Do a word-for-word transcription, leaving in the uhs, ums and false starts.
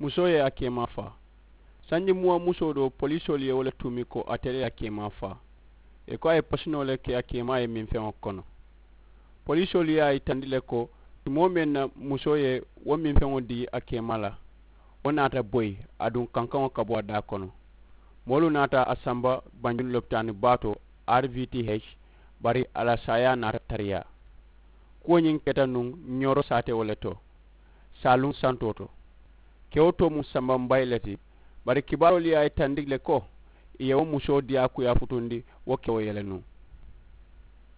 Musoo ye a keemaa faa. Sanji muwa musoo doo poliisoolu ye wo le tuumi ko ate le ye a keemaa faa. Ì ko a ye pasinoo le ke a keemaa ye minfeŋo kono. Poliisoolu ye a yitandi le ko tumoo meŋ na musoo ye wo minfeŋo dii a keemaa la, wo naata boyi aduŋ kankaŋo ka bo a daa kono. Moolu naata a samba banjulu lopitaani baa to, rvth, bari a la saayaa naata tariyaa. Kuwo ñiŋ keta nuŋ ñooro saatewo le to, saaluŋ santoo to. Kewo too mu sambambayi le ti. Bari kibaaroolu ye a yitandi le ko ì ye wo musoo diyaakuyaa futundi wo kewo ye le nuŋ.